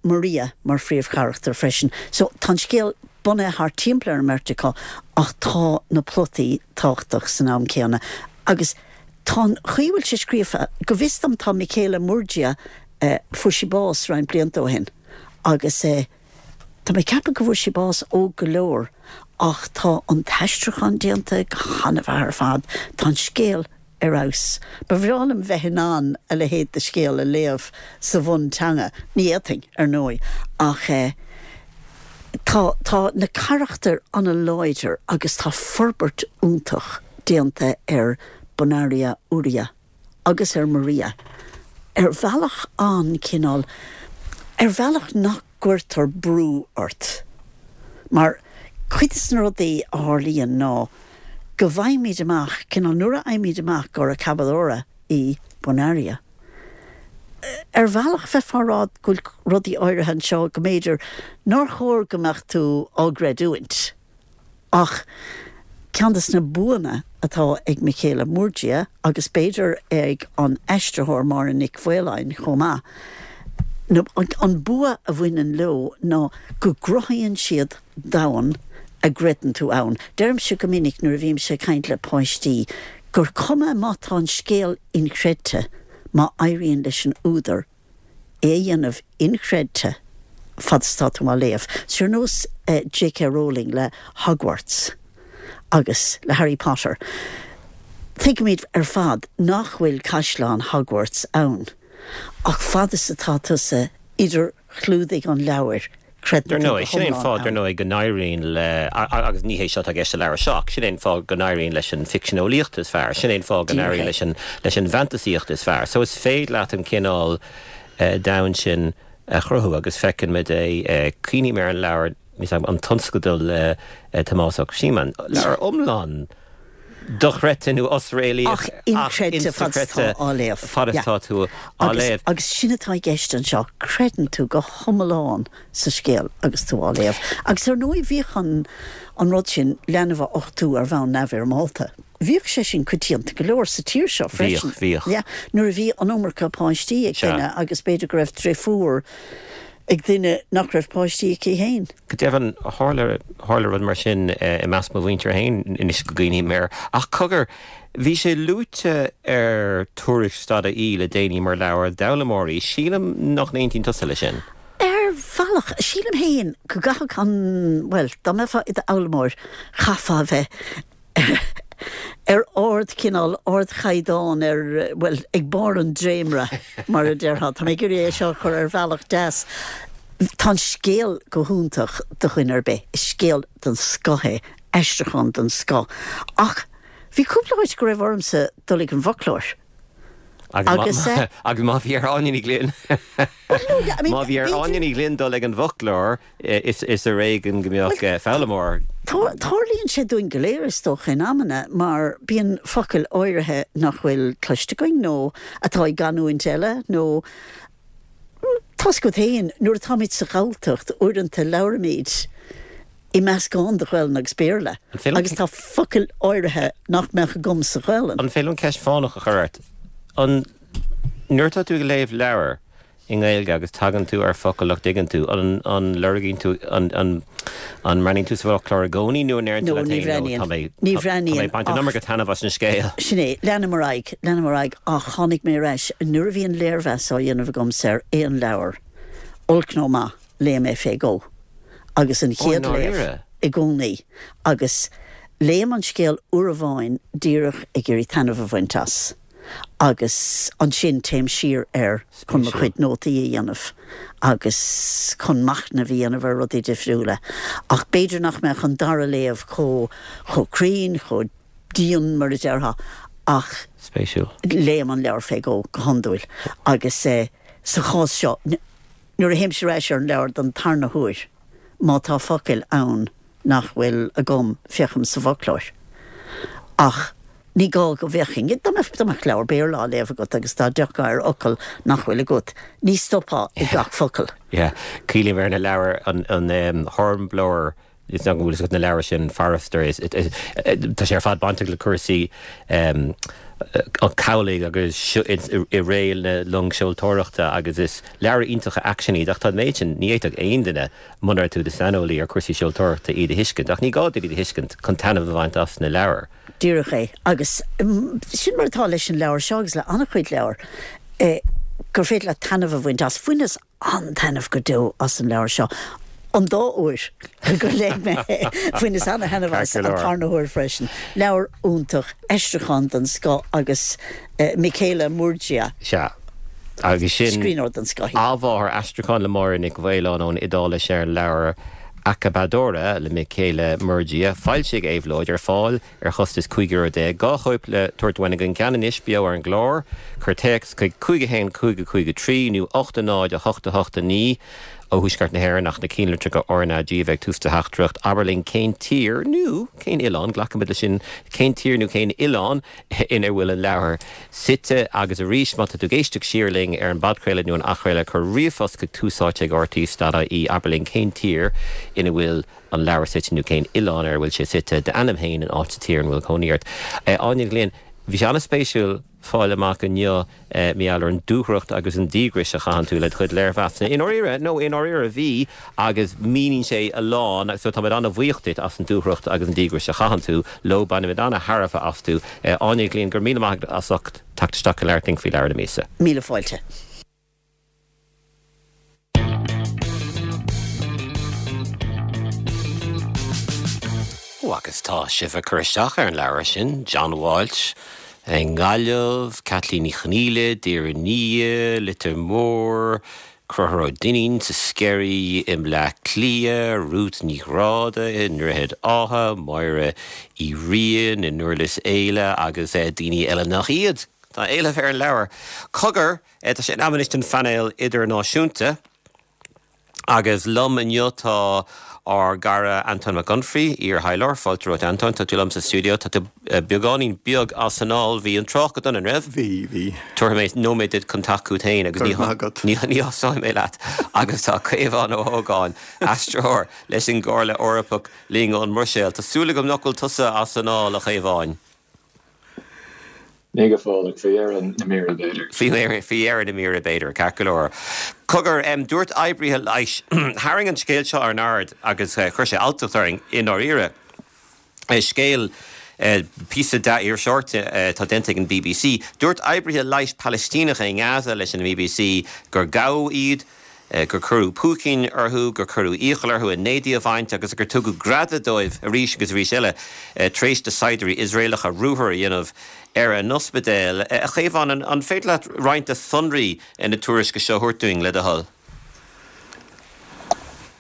Maria mar phríomhcharachtar freisin. So tá an scéal bunaithe thart timpeall ar an mbeirt acu ach tá na plotaí tábhachtach san am céanna. Agus tá an chaoi a bhfuil sé scríofa, go bhfios dom tá Michele Murgia, fuair sí bás roinnt blianta ó shin agus tá mé ag ceapadh go bhfuair sí bás óg go leor ach tá an t-aistriúchán déanta go han-mhaith ar fad, tá an scéal ar fheabhas. Ba bhreá liom bheith in ann a leithéid de scéal a léamh sa bhunteanga, ní fhéadfainn, ar ndóigh, ach tá tá na carachtair an-láidir agus tá forbairt iontach déanta ar Bonaria Uria agus ar Maria ar bhealach an-chineál, ar bhealach nach gcuirtear brú ort. Mar cuid de na rudaí a tharlaíonn ná go bhfaighimid amach, cineál nuair a fhaighimid amach gur accabadora í Bonaria, ar bhealach bheifeá ag rá go bhfuil rudaí áirithe anseo go mb'fhéidir nár chóir go mbeadh tú á gcreidiúint. Ach ceann de na buanna atá ag Michele Murgia agus b'fhéidir ag an aistritheoir Máire Nic Mhaoláin chomh maith, nó an bua a bhaineann leo ná go gcruthaíonn siad domhan a gcreideann tú ann. Deirimse go minic nuair a bhímse ag caint le páistí gur cuma má tá an scéal inchreidte má éiríonn leis an údar é a dhéanamh inchreidte fad is atá tú á léamh. Ar nós J K. Rowling le Hogwarts agus le Harry Potter. Tuigimid ar fad nach bhfuil caisleán Hogwarts ann, ach fad is atá tusa idir chlúdaigh an leabhair, creideann tú go hiomlán ann. Sin é an fáth, dar ndóigh, go n-éiríonn le, agus ní hé seo atá i gceist sa leabhar seo, ach sin é an fáth go n-éiríonn leis an bhficseaneolaíocht is fearr, sin é an fáth go n-éiríonn leis an leis an bhfantasaíocht is fearr. So is féidir leat an cineál domhan sin a chruthú agus feiceann muid é, cuimhním ar an leabhar, an tionscadal le Tomás Ó Síomáin, leabhar iomlán dochreidte nó osréalaíoch ach inchreidte fad is atá á léamh. Fad is atá tú á léamh. Agus sin atá i gceist anseo, creideann tú go hiomlán sa scéal agus tú á léamh. Agus ar ndóigh bhíodh an an rud sin, leanbh a uchtú ar bhonn neamhfhoirmeálta, bhíodh sé sin coitianta go leor sa tír seo freisin. Bhíodh, bhíodh. Yeah, nuair a bhí an iomarca páistí ag duine agus b'fhéidir go raibh deirfiúr ag duine nach raibh páistí aici féin. Go deimhin, tharla tharla rud mar sin i measc mo mhuintir féin anois go gcuimhním air. Ach cogar, bhí sé luaite ar Tuairisc dot ie le déanaí mar leabhar d'fhoghlaimeoirí. Sílim nach n-aontaíonn tusa leis sin. Ar bhealach, sílim féin go gcaithfeadh an, bhuel, dá mbeifeá i d'fhoghlaimeoir, chaithfeá a bheith ar ardchineál, ardchaighdeán, ar, bhuel, ag barr an dréimire, mar a déarfá. Tá mé ag iarraidh é seo a chur ar bhealach deas. Tá an scéal go hiontach do dhuine ar bith. Is scéal den scoth é, aistriúchán den scoth. Ach bhí cúpla áit go raibh ormsa dul ag an bhfoclóir. Agus agus má bhí ar Áine Ní Ghlinn má bhí ar Áine Ní Ghlinn dul ag an bhfoclóir is is ar éigean go mbeadh foghlaimeoir. Tarlaíonn sé dúinn go léir is dócha in amanna mar bíonn focail áirithe nach bhfuil cloiste againn nó atá i gcanúint eile nó tá's agat féin nuair atáimid sa Ghalltacht uaireanta labhraímid i meascán de Ghaelainn agus Béarla agus tá focail áirithe nach mbeadh agam sa Ghaelainn. An féidir liom ceist fánach a chur ort? An nuair atá tú ag léamh leabhar i nGaeilge agus tagann tú ar focal nach dtuigeann tú, an an lorgaíonn tú an an an mbreathnaíonn tú sa bhfoclóir i gcónaí nó an ndeireann tú No, leat ní féin no bhreathnaíonn. tá mé Ní tá mé bhreathnaíonn ag baint an ach iomarca taitneamh as an scéal. Sin é, leanaim ar aghaidh, leanaim ar aghaidh ach tháinig mé ar ais nuair a bhíonn léirmheas á dhéanamh agamsa ar aon leabhar, olc nó maith, léim é fé dhó. Agus an Ó, i chéad léamh ndáiríre? i gcónaí agus léim an scéal uair amháin díreach ag iarraidh taitneamh a bhaint as. Agus ansin téim siar air chun mo Spéisiúil. chuid nótaí a dhéanamh agus chun machnamh a dhéanamh ar rudaí difriúla. Ach b'fhéidir nach mbeadh an dara léamh chomh chomh cruinn, chomh dian mar a déarfá, ach Spéisiúil. léim an leabhar fé dhó go hiondúil. Agus eh, sa chás seo, nuair a théimse ar ais ar an leabhar don tarna huair, má tá focail ann nach bhfuil agam, féachaim sa bhfoclóir. Ach ní gá go bhféachfainn. Dá mbeadh dá mbeadh leabhar Béarla á léamh agat agus dá dtiocfá ar fhocal nach bhfuil agat, ní stopfá ag gach focal. Yeah, cuimhním ar na leabhair an an um, Hornblower is nach bhfuil na leabhair sin Forester is tá sé ar fad bainteach le cúrsaí um, an cabhlaigh agus i ré na longseoltóireachta agus is leabhair iontacha aicsin iad ach tá méid sin ní fhéadfadh aon duine munar tú do shaineolaí ar cúrsaí seoltóireachta iad a thuiscint ach ní gá duit iad a thuiscint chun taitneamh a bhaint as na leabhair. Díreach é agus mm, sin mar atá leis an leabhar seo agus le an-chuid leabhar eh, gur féidir leat taitneamh a bhaint as bhaineas an-taitneamh go deo as an leabhar seo. An dá uair gur léigh mé bhaineas an-taitneamh as Ceart go an leor. tarna huair freisin. Leabhar iontach aistriúchán den scoth agus eh, Michele Murgia Sea. Agus sin scríbhneoir den scoth. Athmháthair aistriúchán le Máire Nic Mhaoláin ón Iodáilis ar an leabhar Accabadora le Michele Murgia, foilsithe ag Éabhlóid ar fáil ar chostas cúig euro déag. Dhá chóip le tabhairt uainn againn ceann anois beo ar an gclár, cuir téacs chuig cúig a haon cúig a cúig a trí nó ocht a náid a hocht a hocht a naoi ó Thuaisceart na hÉireann ach na ceannlitreacha RnaG a bheith ag tús do theachtaireacht. Abair linn cén tír nó cén oileán, glacaimid leis sin cén tír nó cén oileán ina bhfuil an leabhar suite agus arís má tá tú ag éisteacht siar linn ar an bpodchraoladh nó an athchraoladh cuir ríomhphost chuig Tús Áite ag RTÉ dot ie abair linn cén tír ina bhfuil an leabhar suite nó cén oileán ar a bhfuil sé suite d'ainm féin an áit sa tír ina bhfuil cónaí ort. Eh, Áine Ní Ghlinn, bhí sé an-spéisiúil fáil amach inniu eh, mar gheall ar an dúthracht agus an díograis a chaitheann tú le do chuid léirmheasanna. I ndáiríre nó i ndáiríre bhí agus míníonn sé a lán so táimid an-bhuíoch duit as an dúthracht agus an díograis a chaitheann tú leo bainimid an-tairbhe astu. Eh, Áine Ní Ghlinn go raibh míle maith as ucht teacht isteach go labhairt linn faoi leabhar na míosa. Míle fáilte. Ó agus tá sibh ag cur isteach ar an leabhar sin, John Walsh, i nGaillimh, Kathleen Ní Chonghaile, Doire Leitir Móir, Conchúr Ó Duinnín sa Sceirí i mBleá Cliath, Ruth Ní Ghráda i nDroichead Átha, Máire Uí Riain i nDurlas Éile agus eh, daoine eile nach iad. Tá éileamh ar an leabhar. Cogar eh, tá sé in am anois don phainéal idirnáisiúnta. Agus liom inniu tá ár gcara Anton Mac Unfraidh, iar-thaidhleoir, fáilte romhat Anton, tá tú liom sa stiúideo, tá tú eh, beagáinín beag as anáil, bhí an trácht go dona an raibh? Bhí bhí. Tabharfaidh mé nóiméad duit chun teacht chugat féin agus Go raibh maith agat. ní ní thosóidh mé leat agus tá Caomhán Ó hÓgáin aistritheoir leis an gComhairle Eorpach linn ón mBruiséil. Tá súil agam nach bhfuil tusa as anáil a Chaomháin. Ní go fóill ach faoi dheireadh na míre b'fhéidir. Faoi dheireadh na míre b'fhéidir, ceart go leor. Cogar, dúirt oibrithe leighis, tharraing an scéal seo ár n-aird agus chuir sé alltacht orainn i ndáiríre. Scéal, píosa dea-iriseoireachta atá déanta ag an bbc. Dúirt oibrithe leighis Palaistíneacha i nGaza leis an bbc gur gabhadh iad, gur cuireadh púicín orthu, gur cuireadh iachall orthu a n-éadaí a bhaint agus gur tugadh greadadh dóibh arís agus arís eile tar éis do shaighdiúirí Iosraelacha ruathar a dhéanamh ar a n-ospidéal. A Chaomháin, an féidir leat roinnt de shonraí na tuairisce seo a thabhairt dúinn, le do thoil?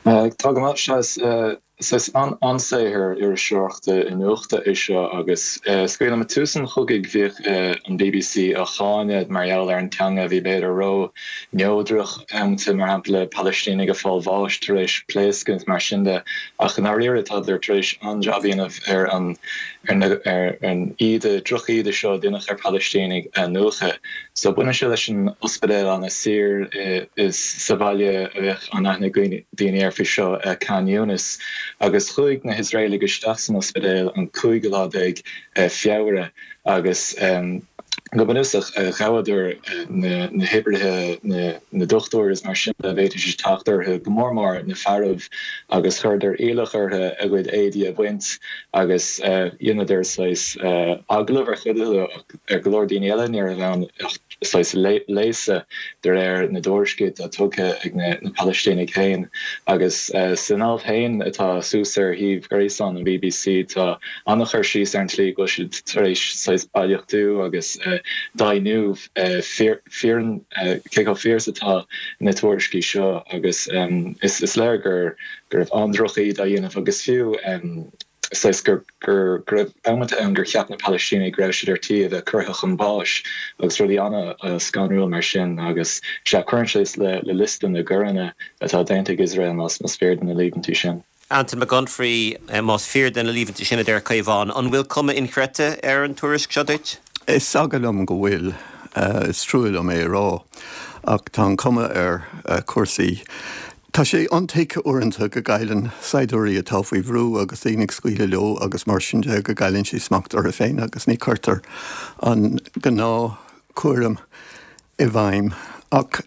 Tá go maith. Sea, Is an-saothar iriseoireachta iniúchta é seo agus is cuimhin liom ag tús an chogaidh bhíodh an bbc á cháineadh mar gheall ar an teanga a bhí b'fhéidir ró-neodrach amanta, mar shampla Palaistínigh ag fáil bháis tar éis pléascadh is mar sin de ach i ndáiríre tádar tar éis an-jab a dhéanamh ar an ar an íde, droch-íde seo a deineadh ar Phalaistínigh a iniúchadh. So baineann sé leis an ospidéal Al-Nasir sa bhaile a bheadh an-aithne ag daoine air faoi seo, Khan Younis, agus chuaigh na hIosraelaigh isteach san ospidéal an cúigiú lá déag Feabhra agus go bunúsach ghabhadar na hoibrithe, na dochtúirí is mar sin de a bhféadfaidís teacht orthu, go mór mór na fearaibh, agus chuireadar iallach orthu a gcuid éadaí a bhaint agus dheineadar saghas agallamh ar chuid acu ach ar go leor daoine eile ní raibh ann ach saghas léasadh de réir na dtuairiscí atá tugtha ag na Palaistínigh féin. Agus san alt féin atá suas ar shuíomh gréasáin an bbc tá an-chur síos ar an tslí go bhfuil siad tar éis saghas bailíochtú agus deimhniú fíor cé chomh fíor is atá na tuairiscí seo agus is léir go raibh an-droch-íde á dhéanamh agus fiú saghas gur go raibh amanta ann gur cheap na Palaistínigh go raibh siad ar tí a bheith curtha chun báis agus rudaí an-scanrúil mar sin agus sea, cuireann sé le liosta na gcoireanna atá déanta ag Iosrael más fíor do na líomhaintí sin. Antain Mac Unfraidh, Más fíor do na líomhaintí sin a deir Caomhán, an bhfuil cuma inchreidte ar an tuairisc seo duit? Is eagal liom go bhfuil. Is trua liom é a rá ach tá an cuma ar chúrsaí. Tá sé intuigthe uaireanta go gcailleann saighdiúirí atá faoi bhrú agus daoine ag scaoileadh leo agus mar sin de go gcailleann siad smacht orthu féin agus ní chuirtear an gnáthchúram i bhfeidhm. Ach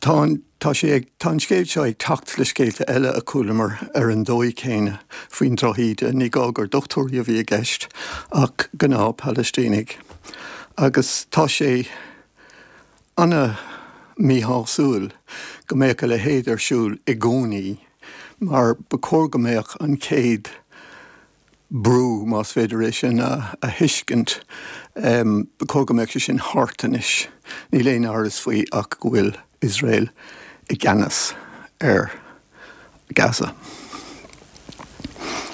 tá an tá sé ag tá an scéal seo ag teacht le scéalta eile a chualamar ar an dóigh chéanna faoin drochíde. Ní gá gur dochtúirí a bhí i gceist ach gnáth-Phalaistínigh. Agus tá sé ana-mhíshásúil go mbeadh a leithéid ar siúl i gcónaí mar ba chóir go mbeadh an chéad brú, más féidir é sin a thuiscint, ba chóir go mbeadh sé sin thart anois. Níl aon amhras faoi ach go bhfuil Iosrael i gceannas ar Gaza.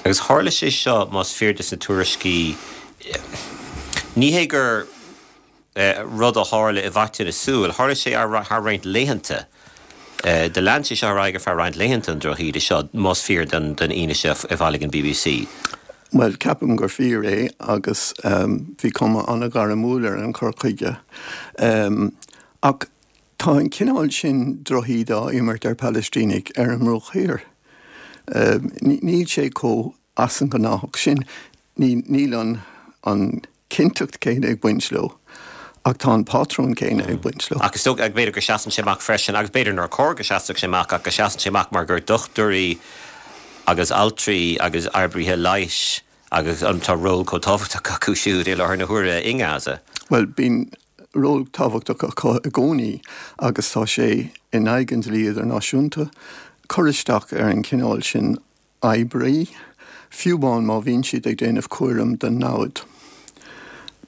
Agus tharla sé seo, más fíor dos na tuairiscí, ní hé gur rud a tharla i bhfaiteadh na súl, tharla sé thar roinnt laethanta. Do lean sé seo ar aghaidh ar feadh roinnt laethanta, an drochíde seo, más fíor don fhianaise a bhailigh an bbc. Bhuel, ceapaim gur fíor é agus bhí cuma an-ghairmiúil ar an chur chuige. Ach tá an cineál sin drochíde á imirt ar Phalaistínigh ar an mBruach Thiar. Níl sé chomh as an ngnáthach sin. Níl an chinnteacht chéanna ag baint leo, ach tá an pátrún céanna ag baint leo. Ach is dócha, b'fhéidir go seasann sé amach freisin, agus b'fhéidir nár chóir go seasfadh sé amach, ach go seasann sé amach mar gur dochtúirí agus altraí agus oibrithe leighis agus tá ról chomh tábhachtach acu siúd i láthair na huaire i nGaza. Bhuel, bíonn ról tábhachtach acu i gcónaí agus tá sé in aghaidh an dlí idirnáisiúnta cur isteach ar an chineál sin oibrí, fiú amháin má bhíonn siad ag déanamh cúram don namhaid.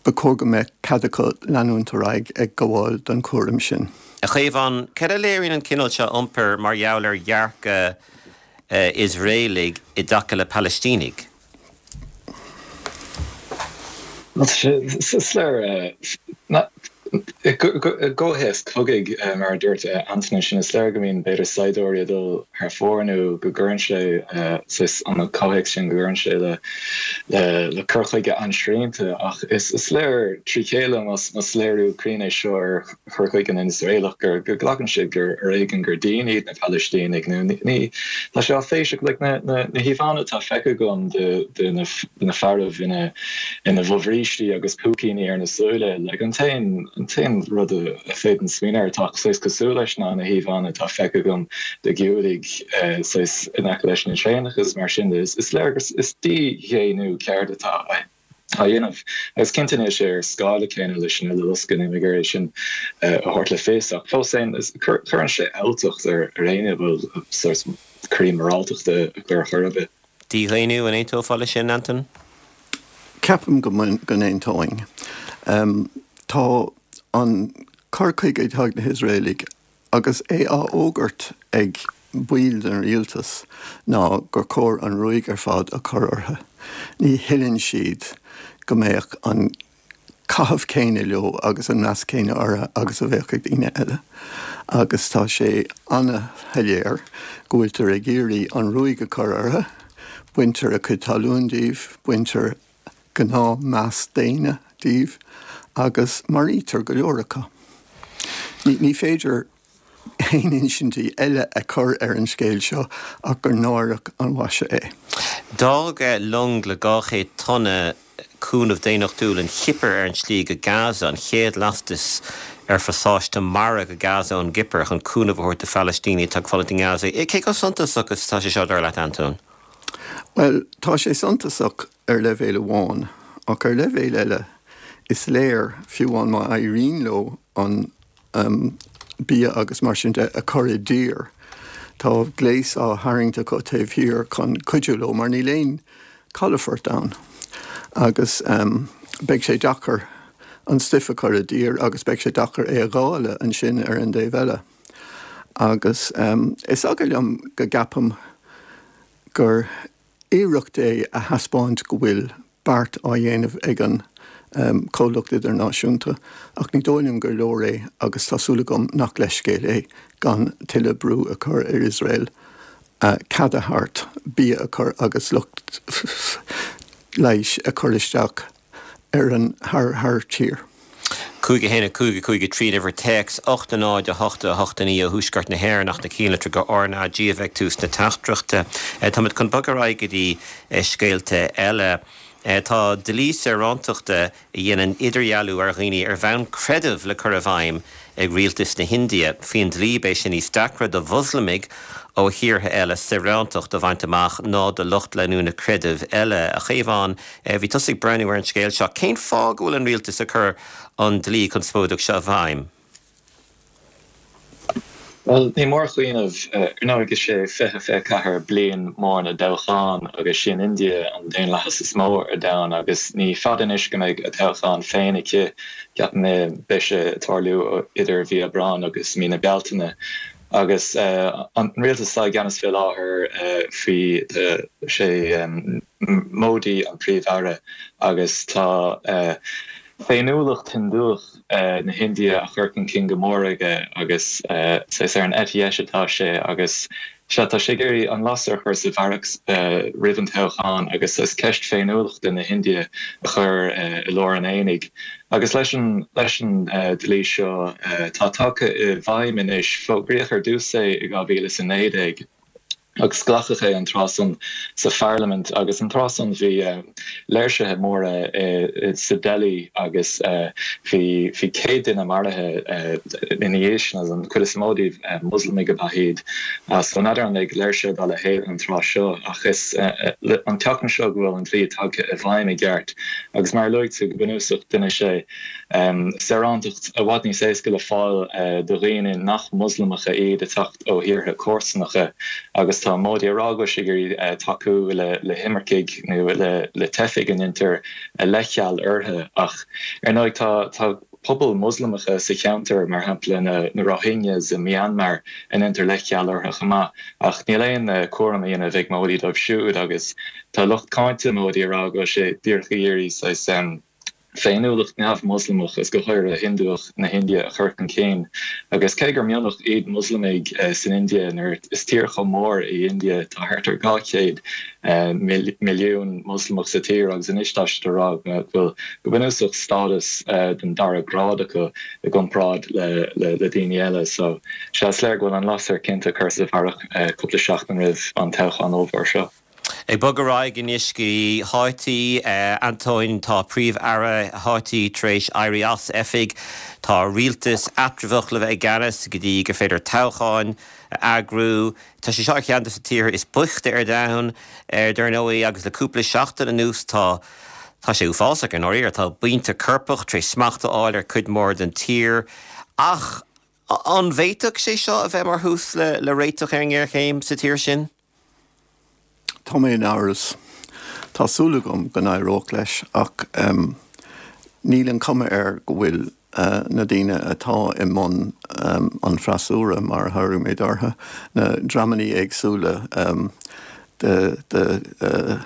Ba chóir go mbeadh cead acu leanúint ar aghaidh ag gabháil don chúram sin. A Chaomháin, cad a léiríonn an cineál seo iompair mar gheall ar dhearcadh Iosraelaigh i dtaca le Palaistínigh? Is léir I gcomhthéacs cogaidh, mar a dúirt Antain ansin, is léir go mbíonn b'fhéidir saighdiúirí ag dul thar fóir nó go gcuireann sé saghas an comhthéacs sin go gcuireann sé le le cur chuige an-srianta ach is léir trí chéile más léiriú cruinn é seo ar chur chuige na nIosraelach gur go nglacann siad gur ar éigean gur daoine iad na Palaistínigh nó ní tá sé áiféiseach like na na híomhánna atá feicthe agam de de na de na fearaibh ina ina bhfobhrístí agus púicíní ar na súile like an t-aon An t-aon rud a féadaim smaoineamh air atá saghas cosúil leis ná na híomhánna atá feicthe agam de Ghiúdaigh saghas in aice leis na traenacha agus mar sin de. Is léir gur is dídhaonnú ceart atá á dhéanamh. Agus cinnte níl sé ar scála céanna leis an Uileloscadh, níl mé ag iarraidh é sin a thabhairt le fios ach fós féin cuireann sé alltacht ar éinne a bhfuil saghas croí moráltachta acu ar chor ar bith. Dídhaonnú, an aontófá leis sin, Antain? Ceapaim go n-aontóinn. Tá an cur chuige atá ag na hIosraelaigh, agus é á fhógairt ag baill den rialtas, ná gur chóir an ruaig ar fad a chur orthu. Ní thuilleann siad go mbeadh an caitheamh céanna leo agus an meas céanna orthu agus a bheadh ag daoine eile. Agus tá sé an-shoiléir go bhfuiltear ag iarraidh an ruaig a chur orthu, baintear a gcuid talún díobh, baintear gnáth-mheas daonna díobh agus maraítear go leor acu. Ní féidir aon insintí eile a chur ar an scéal seo ach gur náireach an mhaise é. D'fhág long le dhá chéad tonna cúnamh daonnachtúil an Chipir ar an tslí go Gaza, an chéad lastas ar phasáiste mara go Gaza ón gCipir chun cúnamh a thabhairt do Phalaistínigh atá ag fulaingt i nGaza. Cé chomh suntasach is atá sé seo, dar leat, Antóin? Bhuel, tá sé suntasach ar leibhéal amháin, ach ar leibhéal eile, is léir, fiú amháin má éiríonn leo an bia agus mar sin de a chur i dtír, tá gléas á tharraingt acu taobh thiar chun cuidiú leo mar níl aon calafort ann agus beidh sé deacair an stuif a chur i dtír agus beidh sé deacair é a dháileadh ansin ar an dtaobh eile. Agus is eagal liom go gceapaim gur iarracht é a thaispeáint go bhfuil beart á dhéanamh ag an chomhlacht idirnáisiúnta, ach ní dóigh liom gur leor é agus tá súil agam nach leithscéal é gan tuilleadh brú a chur ar Iosrael cead a thabhairt bia a chur agus lucht leighis a chur isteach ar an thar tír. Cúig a haon a cúig a cúig a trí an uimhir téacs, ocht a náid a hocht a hocht a naoi ó thuaisceart na hÉireann ach na cinnlitreacha R na G a bheidh ag tús na teachtaireachta. Táimid chun bogadh ar aghaidh go dtí scéalta eile. Tá dlí saorántachta a dhéanann idirdhealú ar dhaoine ar bhonn creidimh le cur i bhfeidhm ag rialtas na hIndia. Faoin dlí, beidh sé níos deacra do Mhoslamaigh ó thíortha eile saorántacht a bhaint amach ná do lucht leanúna creidimh eile. A Chaomháin, bhí tusa ag breathnú ar an scéal seo. Cén fáth go bhfuil an rialtas ag cur an dlí conspóideach seo i bhfeidhm? Bhuel, ní mór a chuimhneamh, ar ndóigh, is é fiche fiche ceathair bliain mór na dtoghchán agus sí an India an daonlathas is mó ar domhan agus ní fada anois go mbeidh a toghchán féin aici, ceapaim beidh sé ag tarlú idir mhí Aibreáin agus mí na Bealtaine. Agus an rialtas atá i gceannas fé láthair faoi, sé Modi an Príomh-Aire agus tá féiniúlacht Hiondúch na hIndia á chur chun cinn go mór aige agus saghas ar an eite dheis atá sé agus sea, tá sé ag iarraidh an lasair a chur sa bharrach roimh an toghchán agus saghas ceist féiniúlachta na hIndia a chur i lár an aonaigh. Agus leis an leis an dlí seo atá tagtha i bhfeidhm anois, fógraíodh ar dtús é i dhá mhíle is a naoi déag, agus glacadh é an tráth san sa pharlaimint agus an tráth san bhí léirsithe móra sa Delhi agus bhí bhí céad duine maraithe ina dhiaidh sin agus an chuid is mó díobh Moslamaigh ab ea iad. So n'fheadar an mbeidh léirsithe dá leithéid an tráth seo ach is an tseachtain seo go bhfuil an dlí tagtha i bhfeidhm i gceart agus mar a luaigh tú go bunúsach déanfaidh sé saorántacht i bhfad níos éasca le fáil do dhaoine nach Moslamacha iad ag teacht ó thíortha comharsanacha agus tá Modi ag rá go bhfuil sé ag iarraidh tacú le himircigh nó le teifigh a ndéantar leithcheal orthu ach ar ndóigh tá tá pobail Moslamacha sa cheantar, mar shampla na Rohingyas i Myanmar, a ndéantar leithcheal orthu chomh maith ach níl aon chúram á dhéanamh ag Modi dóibh siúd agus tá lucht cáinte Modi ag rá go bhfuil sé díreach ag iarraidh saghas féiniúlacht neamh-Mhoslamach is go háirithe Hiondúch na hIndia a chur chun cinn. Agus cé gur mionlach iad Moslamaigh eh, san India nuair is tír chomh mór í India tá thart ar dhá chéad eh, milliún Moslamach sa tír agus anois tá siad ag rá go bhfuil go bunúsach stádas eh, den dara grád acu i gcomparáid le, le, le daoine eile so sé is léir go bhfuil an lasair cinnte curtha sa bharrach cúpla seachtain roimh an toghchán ollmhór seo. Ag bogadh ar aghaidh anois go Háítí Antóin tá príomh-aire Háítí tar éis éirí as oifig tá rialtas eatramhach le bheith i gceannas go dtí gur féidir toghcháin a eagrú. Tá sé seo ar cheann de na tíortha is boichte ar domhan ar dar ndóigh agus le cúpla seachtain anuas tá Tá sé uafásach ar ndóigh tá buíonta coirpeach tar éis smacht a fháil ar cuid mór den tír ach an bhféadfadh sé seo a bheith mar thús le le réiteach ar an ngéarchéim sa tír sin? Tá mé in amhras Tá súil agam go n-éireoidh leis ach um, níl an cuma air go bhfuil uh, na daoine atá i mbun um, an freasúra mar a thabharfaidh mé orthu na dreamanna éagsúla um, de, de uh,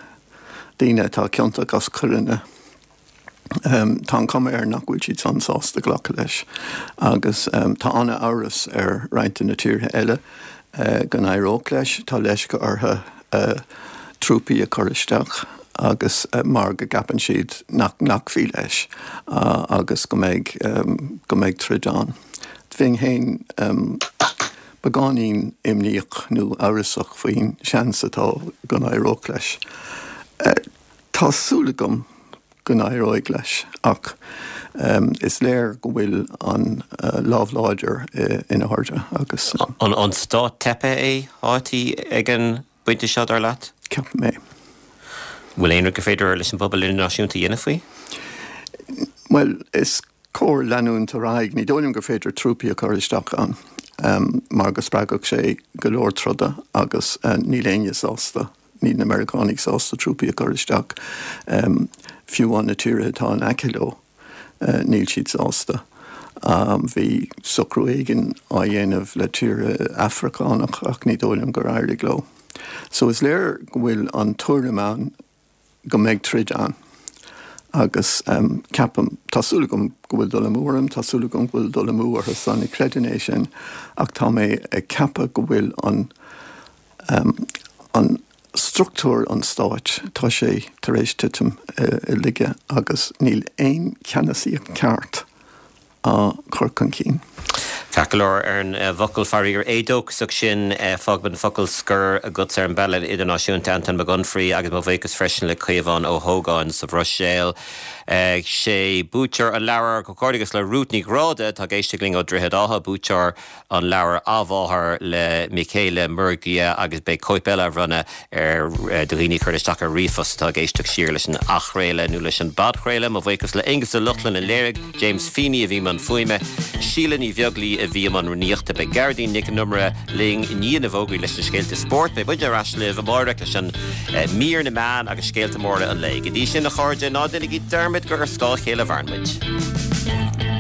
daoine atá ciontach as coireanna. Um, tá an cuma air nach bhfuil siad san sásta glacadh leis agus um, tá an-amhras ar roinnt na tíortha eile uh, go n-éireoidh leis tá leisce orthu uh, trúpaí a chur isteach agus uh, mar go gceapann siad nach nglacfaí leis uh, agus go mbeidh um, go mbeidh troid ann. Bheinn féin um, beagáinín imníoch nó amhrasach faoin seans atá go n-éireoidh leis. Uh, tá súil agam go n-éireoidh leis ach um, is léir go bhfuil an uh, lámh láidir uh, ina airde agus um, an an stát teipthe é Háítí ag an bpointe seo dar leat? Ceapaim é. Bhfuil aon rud gur féidir leis an bpobal idirnáisiúnta a dhéanamh faoi? Well is cóir leanúint ar aghaidh ní dóigh liom gur féidir trúpaí a chur isteach ann um, mar go spreagfadh sé go leor troda agus uh, níl éinne sásta níl na Meiriceánaigh sásta trúpaí a chur isteach um, fiú amháin na tíortha atá in aice leo uh, níl siad sásta. Um, bhí socrú éigin á dhéanamh le tíortha Afracánach ach ní dóigh liom gur éirigh leo. So is léir go bhfuil an tuairim ann go mbeidh troid ann. Agus um, ceapaim tá súil agam go bhfuil dul amú orm, tá súil agam go bhfuil dul amú orthu san ní chreidim é sin ach tá mé ag ceapadh go bhfuil an um, an struchtúr an stáit tá sé tar éis titim uh, i laige agus níl aon cheannasaíocht ceart á chur chun cinn. Ceart go leor ar an eh, bhfocal faraor éadóchasach sin eh, fágfaidh an focal scoir agat ar an bpeil idirnáisiúnta Anton Mac Unfraidh agus mo bhuíochas freisin le Caomhán Ó hÓgáin sa Bhruiséil. Eh, sé buaiteoir an leabhar comhghairdeas le Ruth Ní Ghráda tá ag éisteacht linn ó Dhroichead Átha buaiteoir an leabhar A Mháthair le Michele Murgia agus beidh cóip eile á bronnadh ar do dhaoine a chuir isteach ar ríomhphost atá ag éisteacht siar leis an athchraoladh nó leis an bpodchraoladh mo bhuíochas le Aonghus Ó Lochlainn a léirigh James Feeney a bhí i mbun fuaime Síle Ní Bheaglaoí a bhí i mbun rúnaíochta beidh Gearóidín Nic an Iomaire linn i ndiaidh na bhfógraí leis na scéalta spóirt beidh muid ar ais libh amárach leis an eh, mír na meán agus scéalta móra an lae. Go dtí sin a chairde ná déanaigí dearmad gur ar scáth a chéile a mhaireann muid.